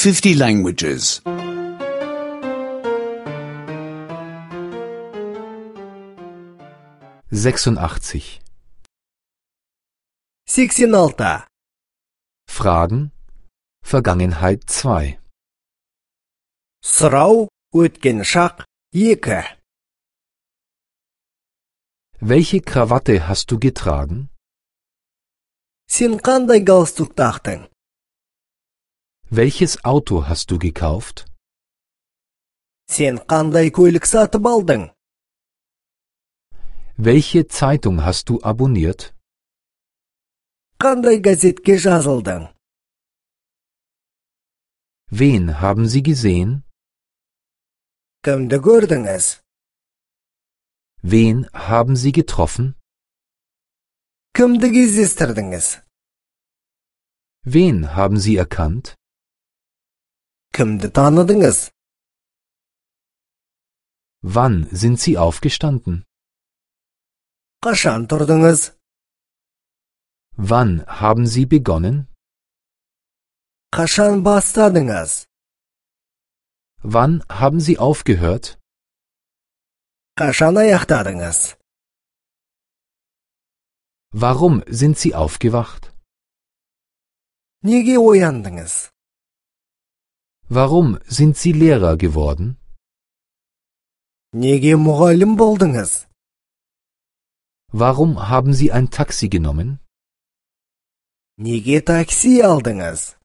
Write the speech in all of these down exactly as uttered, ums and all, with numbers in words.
fifty languages. sechsundachtzig. Сексен алты. Fragen. Vergangenheit zwei. Сұрау, өткен шақ, екі. Welche Krawatte hast du getragen? Сен қандай галстук тақтың? Welches Auto hast du gekauft? Сен қандай көлік сатып алдың? Welche Zeitung hast du abonniert? Қандай газетке жазылдың? Wen haben Sie gesehen? Кімді көрдіңіз? Wen haben Sie getroffen? Кімді кездестірдіңіз? Wen haben Sie erkannt? Кімді таныдыңыз? Wann sind Sie aufgestanden? Қашан тұрдыңыз? Wann haben Sie begonnen? Қашан бастадыңыз? Wann haben Sie aufgehört? Қашан аяқтадыңыз? Warum sind Sie aufgewacht? Неге ояндыңыз? Warum sind Sie Lehrer geworden? Неге мұғалім болдыңыз? Warum haben Sie ein Taxi genommen? Неге такси алдыңыз?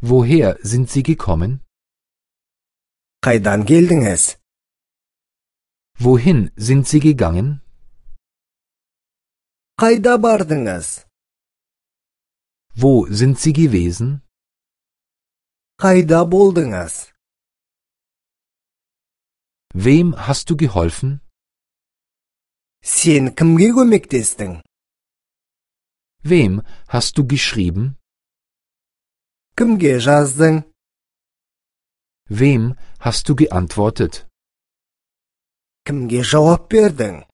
Woher sind Sie gekommen? Қайдан келдіңіз? Wohin sind Sie gegangen? Қайда бардыңыз? Wo sind Sie gewesen? Қайда болдыңыз? Wem hast du geholfen? Сен кімге көмектестің? Wem hast du geschrieben? Кімге жаздың? Wem hast du geantwortet? Кімге жауап бердің?